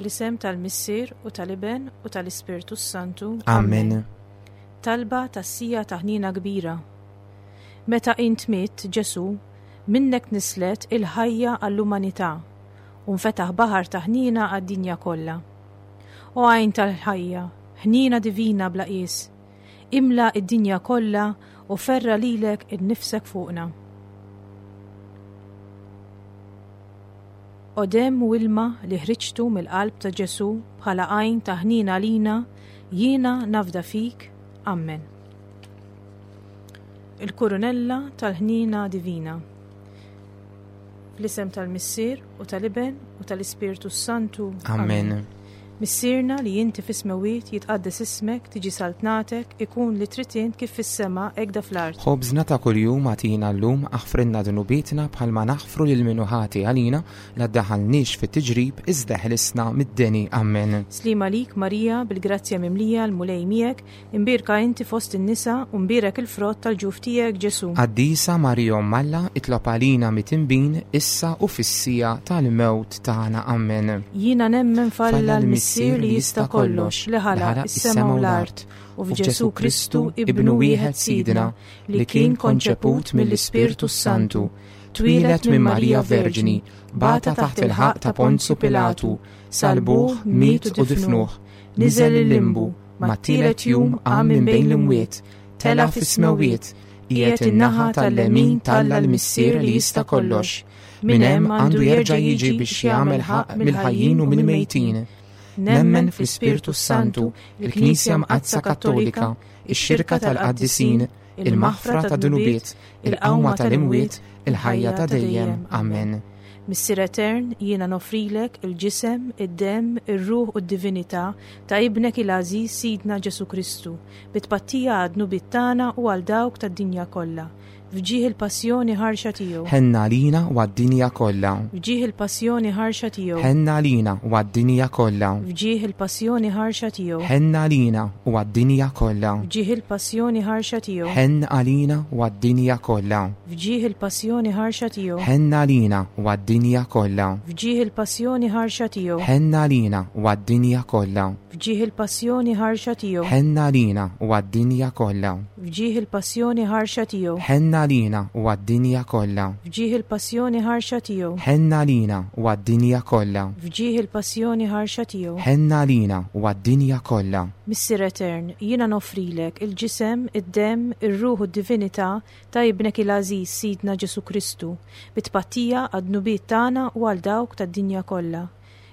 Fl-isem tal-Missier u tal-Iben u tal-Ispirtu s-Santu. Amen. Talba tas-sija ta' ħniena kbira. Meta int mitt, Ġesù, minnek nislet il-ħajja għall-umanità u nfetaħ baħar ta' ħniena għad-dinja kollha. O għajn tal-ħajja, ħniena divina bla qies, imla id-dinja kollha u ferra lilek innifsek fuqna. O demm u ilma li ħriġtu mill-qalb ta' Ġesù bħala għajn ta' ħniena għalina, jiena nafda fik. Ammen. Il-Kurunella tal-Ħniena Divina. Fl-isem tal-Missier u tal-Iben u tal-Ispirtu s-Santu. Amen. Missierna li inti fis-smewwiet jitqaddes ismek, tiġi saltnatek, ikun li trid int kif fis-sema hekk da fl-art. Ħobżna ta' kuljum agħtina llum, aħfrilna dnubietna bħalma naħfru lil min hu ħati għalina, la ddaħħalniex fit-tiġrib, iżda eħlisna mid-deni. Ammen. Sliem għalik Marija, bil-grazzja mimlija, l-Mulej miegħek, Imbierka inti fost in-nisa u mbierek il-frott tal-ġuf tiegħek, Ġesù. Qaddisa Marija Omm Alla, itlob għalina mitinbin, issa u fis-siegħa tal-mewt tagħna. Ammen. Jiena nemmen f'Alla l-Missier li jista' kollox, li ħalaq is-sema u l-art, u f'Ġesù Kristu, Ibnu wieħed Sidna, li kien konċeput mill-Ispirtu s-Santu, twieled minn Marija Verġni, bata taħt il-ħaqq ta' Ponzu Pilatu, salbuh, miet u difnuh, niżel il-limbu, Mat-tielet jum qam minn bejn l-imwiet, tela' fis-smewwiet, qiegħed in-naħa tal-lemin t'Alla l-Missier li jista' kollox. Minn hemm għandu jerġa' jiġi biex jagħmel ħaqq mill-ħajjin u mill-mejtin. Nemmen fl-Ispirtu s-Santu, il-Knisja Mqaddsa Kattolika, ix-xirka tal-qaddisin, il-maħfra tad-dnubiet, il-qawma tal-imwiet, il-ħajja ta' dejjem. Amen. Missier Etern, jiena noffrilek il-ġisem, id-demm, ir-ruħ u d-divinità ta' Ibnek il-għażiż Sidna Ġesù Kristu, bi tpattija għad-dnubiet tagħna u għal dawk tad-dinja kollha. F'ġieħ il-passjoni ħarxa tiegħu. Ħenn għalina u għad-dinja kollha. F'ġieħ il-passjoni ħarxa tiegħu. Ħenn għalina u għad-dinja kollha. F'ġieħ il-passjoni ħarxa tiegħu. Ħenn għalina u għad-dinja kollha. F'ġieħ il-passjoni ħarxa tiegħu. Ħenn għalina u għad-dinja kollha. F'ġieħ il-passjoni ħarxa tiegħu. Ħenn għalina u għad-dinja kollha. F'ġieħ il-passjoni ħarxa tiegħu. Ħenn għalina u għad-dinja kollha. F'ġieħ il-passjoni ħarxa tiegħu. Ħenn għalina u għad-dinja kollha. F'ġieħ il-passjoni ħarxa tiegħu. Ħenn għalina u għad-dinja kollha. F'ġieħ il-passjoni ħarxa tiegħu. Ħenn għalina u għad-dinja kollha. F'ġieħ il-passjoni ħarxa tiegħu. Ħenn għalina u għad-dinja kollha. Missier Etern, jiena noffrilek il-ġisem, id-demm, ir-ruħ u d-divinità ta' Ibnek il-għażiż Sidna Ġesù Kristu, bi tpattija għad-dnubiet tagħna u għal dawk tad-dinja kollha.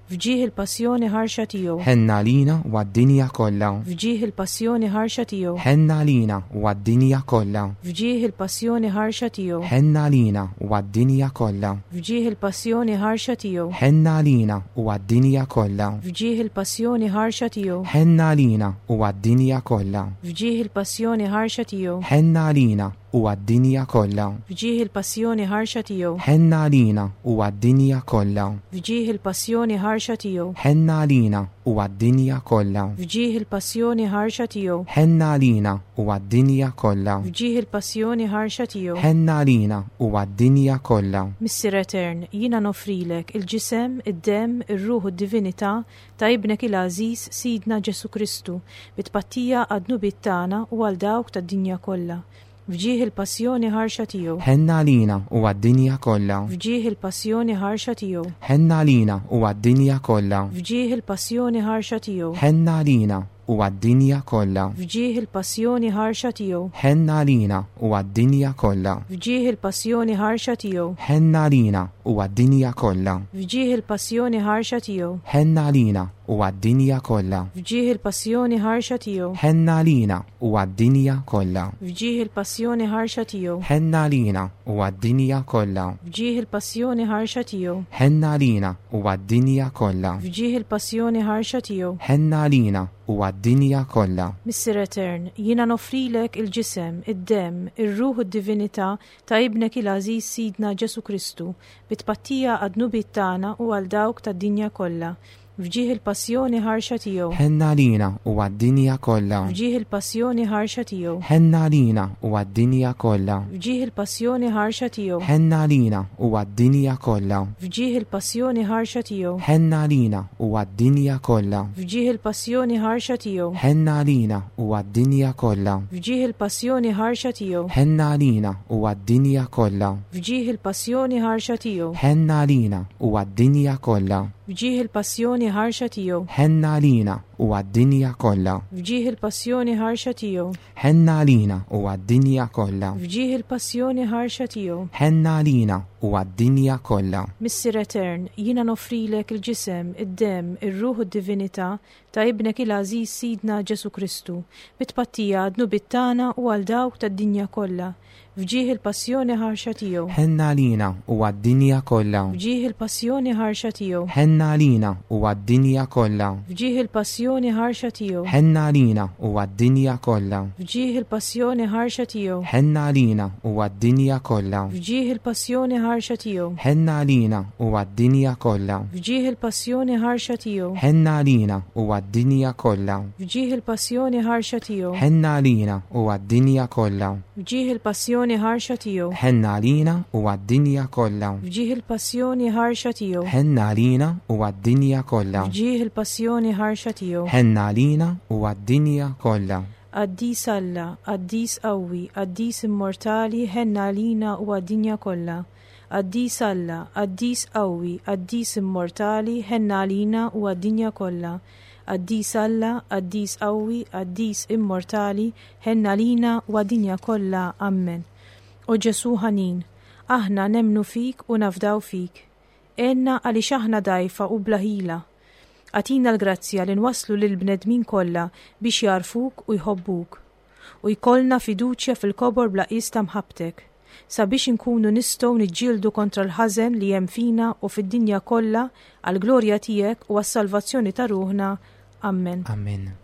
F'ġieħ il-passjoni ħarxa tiegħu. Ħenn għalina u għad-dinja kollha. F'ġieħ il-passjoni ħarxa tiegħu. Ħenn għalina u għad-dinja kollha. F'ġieħ il-passjoni ħarxa tiegħu. Ħenn għalina u għad-dinja kollha. F'ġieħ il-passjoni ħarxa tiegħu. Ħenn għalina u għad-dinja kollha. F'ġieħ il-passjoni ħarxa tiegħu. Ħenn għalina u għad-dinja kollha. F'ġieħ il-passjoni ħarxa tiegħu. Ħenn għalina u għad-dinja kollha. F'ġieħ il-passjoni ħarxa tiegħu. Ħenn għalina u għad-dinja kollha. F'ġieħ il-passjoni ħarxa tiegħu. Ħenn għalina u għad-dinja kollha. F'ġieħ il-passjoni ħarxa tiegħu. Ħenn għalina u għad-dinja kollha. F'ġieħ il-passjoni ħarxa tiegħu. Ħenn għalina u għad-dinja kollha. Missier Etern, jiena noffrilek il-ġisem, id-demm, ir-ruħ u d-divinità ta' Ibnek il-għażiż Sidna Ġesù Kristu, bi tpattija għad-dnubiet tagħna u għal dawk tad-dinja kollha. F'ġieħ il-passjoni ħarxa tiegħu. Ħenn għalina u għad-dinja kollha. F'ġieħ il-passjoni ħarxa tiegħu. Ħenn għalina u għad-dinja kollha. F'ġieħ il-passjoni ħarxa tiegħu. Ħenn għalina u għad-dinja kollha. F'ġieħ il-passjoni ħarxa tiegħu. Ħenn għalina u għad-dinja kollha. F'ġieħ il-passjoni ħarxa tiegħu. Ħenn għalina u għad-dinja kollha. F'ġieħ il-passjoni ħarxa tiegħu. Ħenn għalina u għad-dinja kollha. F'ġieħ il-passjoni ħarxa tiegħu. Ħenn għalina u għad-dinja kollha. F'ġieħ il-passjoni ħarxa tiegħu. Ħenn għalina u għad-dinja kollha. F'ġieħ il-passjoni ħarxa tiegħu. Ħenn għalina u għad-dinja kollha. F'ġieħ il-passjoni ħarxa tiegħu. Ħenn għalina u għad-dinja kollha. Missier Etern, jiena noffrilek il-ġisem, id-demm, ir-ruħ u d-divinità ta' Ibnek il-għażiż Sidna Ġesù Kristu, bi tpattija għad-dnubiet tagħna u għal dawk tad-dinja kollha. F'ġieħ il-passjoni ħarxa tiegħu. Ħenn għalina u għad-dinja kollha. F'ġieħ il-passjoni ħarxa tiegħu. Ħenn għalina u għad-dinja kollha. F'ġieħ il-passjoni ħarxa tiegħu. Ħenn għalina u għad-dinja kollha. F'ġieħ il-passjoni ħarxa tiegħu. Ħenn għalina u għad-dinja kollha. F'ġieħ il-passjoni ħarxa tiegħu. Ħenn għalina u għad-dinja kollha. F'ġieħ il-passjoni ħarxa tiegħu. Ħenn għalina u għad-dinja kollha. F'ġieħ il-passjoni ħarxa tiegħu. Ħenn għalina u għad-dinja kollha. F'ġieħ il-passjoni ħarxa tiegħu. Ħenn għalina u għad-dinja kollha. F'ġieħ il-passjoni ħarxa tiegħu. Ħenn għalina u għad-dinja kollha. F'ġieħ il-passjoni ħarxa tiegħu. Ħenn għalina u għad-dinja kollha. Missier Etern, jiena noffrilek il-ġisem, id-demm, ir-ruħ u d-divinità ta' Ibnek il-għażiż Sidna Ġesù Kristu, bi tpattija għad-dnubiet tagħna u għal dawk tad-dinja kollha, f'ġieħ il-passjoni ħarxa tiegħu. Ħenn għalina u għad-dinja kollha. F'ġieħ il-passjoni ħarxa tiegħu. Ħenn għalina u għad-dinja kollha. F'ġieħ il-passjoni ħarxa tiegħu. Ħenn għalina u għad-dinja kollha. F'ġieħ il-passjoni ħarxa tiegħu. Ħenn għalina u għad-dinja kollha. F'ġieħ il-passjoni ħarxa tiegħu. Ħenn għalina u għad-dinja kollha. F'ġieħ il-passjoni ħarxa tiegħu. Ħenn għalina u għad-dinja kollha. F'ġieħ il-passjoni ħarxa tiegħu. Ħenn għalina u għad-dinja kollha. F'ġieħ il-passjoni ħarxa tiegħu. Ħenn għalina u għad-dinja kollha. F'ġieħ il-passjoni ħarxa tiegħu. Ħenn għalina u għad-dinja kollha. F'ġieħ il-passjoni ħarxa tiegħu. Ħenn għalina u għad-dinja kollha. Qaddis Alla, Qaddis qawwi, Qaddis immortali, ħenn għalina u għad-dinja kollha. Qaddis Alla, Qaddis qawwi, Qaddis immortali, ħenn għalina u għad-dinja kollha. Qaddis Alla, Qaddis qawwi, Qaddis immortali, ħenn għalina u għad-dinja kollha. Ammen. O Ġesù ħanin, aħna nemmnu fik u nafdaw fik. Għinna għaliex aħna dgħajfa u bla ħila. Agħtina l-grazzja li nwasslu lill-bnedmin kollha biex jagħrfuk u jħobbuk. U jkollna fiduċja fil-kobor bla qies ta' mħabbtek, sabiex inkunu nistgħu niġġieldu kontra l-ħażen li hemm fina u fid-dinja kollha għall-glorja tiegħek u għas-salvazzjoni ta' ruħna. Ammen. Ammen.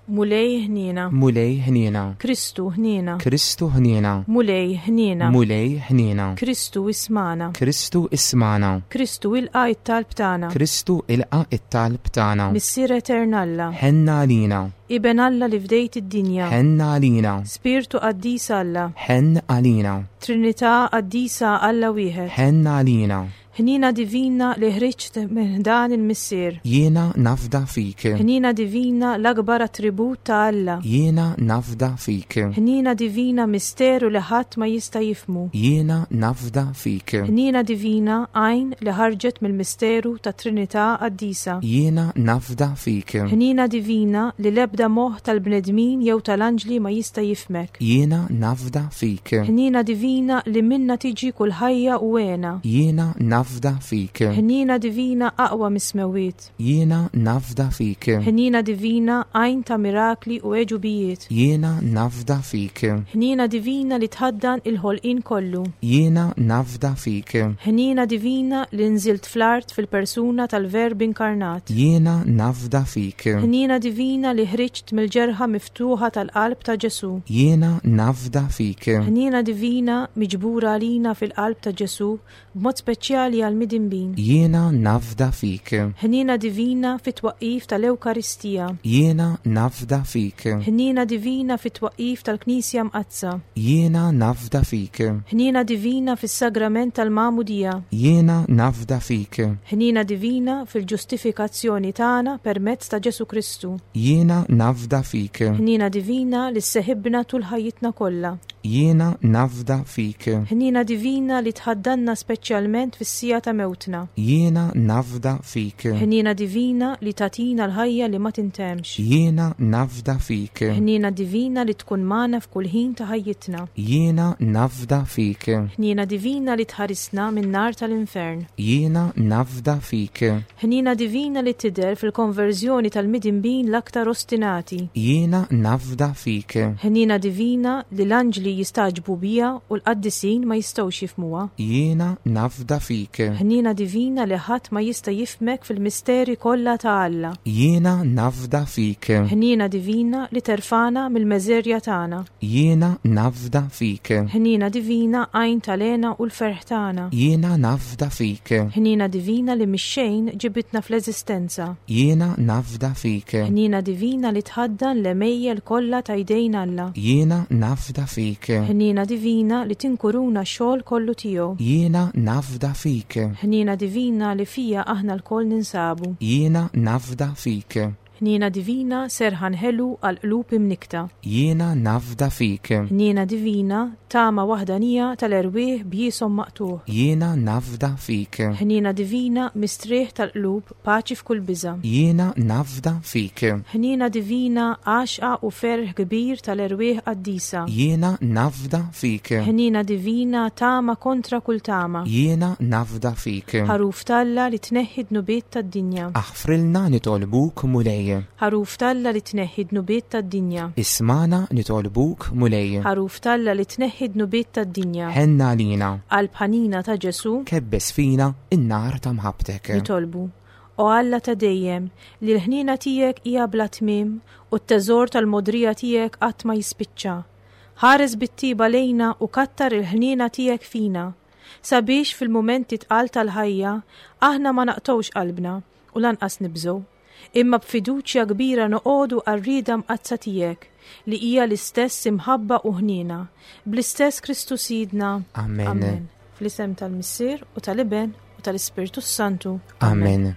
Mulej ħniena. Mulej ħniena. Kristu ħniena. Kristu ħniena. Mulej ħniena. Mulej ħniena. Kristu ismana. Kristu ismana. Kristu ilqa' it-talb tagħna. Kristu ilqa' it-talb tagħna. Missier Etern Alla. Ħenn għalina. Iben Alla li fdejt id-dinja. Ħenn għalina. Spirtu Qaddis Alla. Ħenn għalina. Trinità Qaddisa Alla wieħed. Ħenn għalina. Ħniena divina li ħriġt minn ħdan il-Missier. Jiena nafda fik. Ħniena divina l-akbar attribut ta' Alla. Jiena nafda fik. Ħniena divina misteru li ħadd ma jista' jifhmu. Jiena nafda fik. Ħniena divina għajn li ħarġet mill-misteru tat-Trinità Qaddisa. Jiena nafda fik. Ħniena divina li l-ebda moħħ tal-bnedmin jew tal-anġli ma jista' jifhmek. Jiena nafda fik. Ħniena divina li minnha tiġi kull ħajja u hena. Jiena nafda fik. Ħniena divina aqwa mis-smewwiet. Jiena nafda fik. Ħniena divina għajn ta' mirakli u għeġubijiet. Jiena nafda fik. Ħniena divina li tħaddan il-ħolqien kollu. Jiena nafda fik. Ħniena divina li nżilt fl-art fil-persuna tal-Verb inkarnat. Jiena nafda fik. Ħniena divina li ħriġt mill-ġerħa miftuħa tal-qalb ta' Ġesù. Jiena nafda fik. Ħniena divina miġbura għalina fil-qalb ta' Ġesù b'mod speċjali għall-midinbin. Jiena nafda fik. Ħniena divina fit-twaqqif tal-Ewkaristija. Jiena nafda fik. Ħniena divina fit-twaqqif tal-Knisja Mqaddsa. Jiena nafda fik. Ħniena divina fis-Sagrament tal-Magħmudija. Jiena nafda fik. Ħniena divina fil-ġustifikazzjoni tagħna permezz ta' Ġesù Kristu. Jiena nafda fik. Ħniena divina li sseħibna tul ħajjitna kollha. Jiena nafda fik. Ħniena divina li tħaddanna speċjalment fis-siegħa ta' mewtna. Jiena nafda fik. Ħniena divina li tagħtina l-ħajja li ma tintemmx. Jiena nafda fik. Ħniena divina li tkun magħna f'kull ħin ta' ħajjitna. Jiena nafda fik. Ħniena divina li tħarisna min-nar tal-infern. Jiena nafda fik. Ħniena divina li tidher fil-konverżjoni tal-midinbin l-aktar ostinati. Jiena nafda fik. Ħniena divina li l-anġli L-anġli jistagħġbu biha u l-qaddisin ma jistgħux jifhmuha. Jiena nafda fik. Ħniena divina li ħadd ma jista' jifhmek fil-misteri kollha ta' Alla. Jiena nafda fik. Ħniena divina li terfagħna mill-meżerja tagħna. Jiena nafda fik. Ħniena divina għajn tal-hena u l-ferħ tagħna. Jiena nafda fik. Ħniena divina li mix-xejn ġibitna fl-eżistenza. Jiena nafda fik. Ħniena divina li tħaddan l-għemejjel kollha ta' jdejn Alla. Jiena nafda fik. Ħniena divina li tinkuruna x-xogħol kollu tiegħu. Jiena nafda fik. Ħniena divina li fija aħna lkoll ninsabu. Jiena nafda fik. Ħniena divina, serħan ħelu għal qlub imnikkta. Jiena nafda fik. Ħniena divina, tama waħdanija tal-erwieħ b'jieshom maqtugħ. Jiena nafda fik. Ħniena divina, mistrieħ tal-qlub, paċi f'kull biża'. Jiena nafda fik. Ħniena divina, għaxqa u ferħ kbir tal-erwieħ qaddisa. Jiena nafda fik. Ħniena divina, tama kontra kull tama. Jiena nafda fik. Ħaruf t'Alla li tneħħi d-dnubiet tad-dinja. Aħfrilna nitolbuk Mulej. Ħaruf t'Alla li tneħħi d-dnubiet tad-dinja. Ismagħna nitolbuk Mulej. Ħaruf t'Alla li tneħħi d-dnubiet tad-dinja. Ħenn għalina. Qalb ħanina ta' Ġesù. Kebbes fina n-nar ta' mħabbtek. Nitolbu. O Alla ta' dejjem, li l-ħniena tiegħek hija bla tmiem u t-teżor tal-mogħdrija tiegħek qatt ma jispiċċa. Ħares bit-tjieba lejna u kattar il-ħniena tiegħek fina. Sabiex fil-mumenti tqal tal-ħajja aħna ma naqtgħux qalbna u lanqas nibżgħu, imma b'fiduċja kbira noqogħdu għar-rieda mqaddsa tiegħek, li hija l-istess imħabba u ħniena, bl-istess Kristu Sidna. Amen. Fl-isem tal-Missier u tal-Iben u tal-Ispirtu s-Santu. Amen.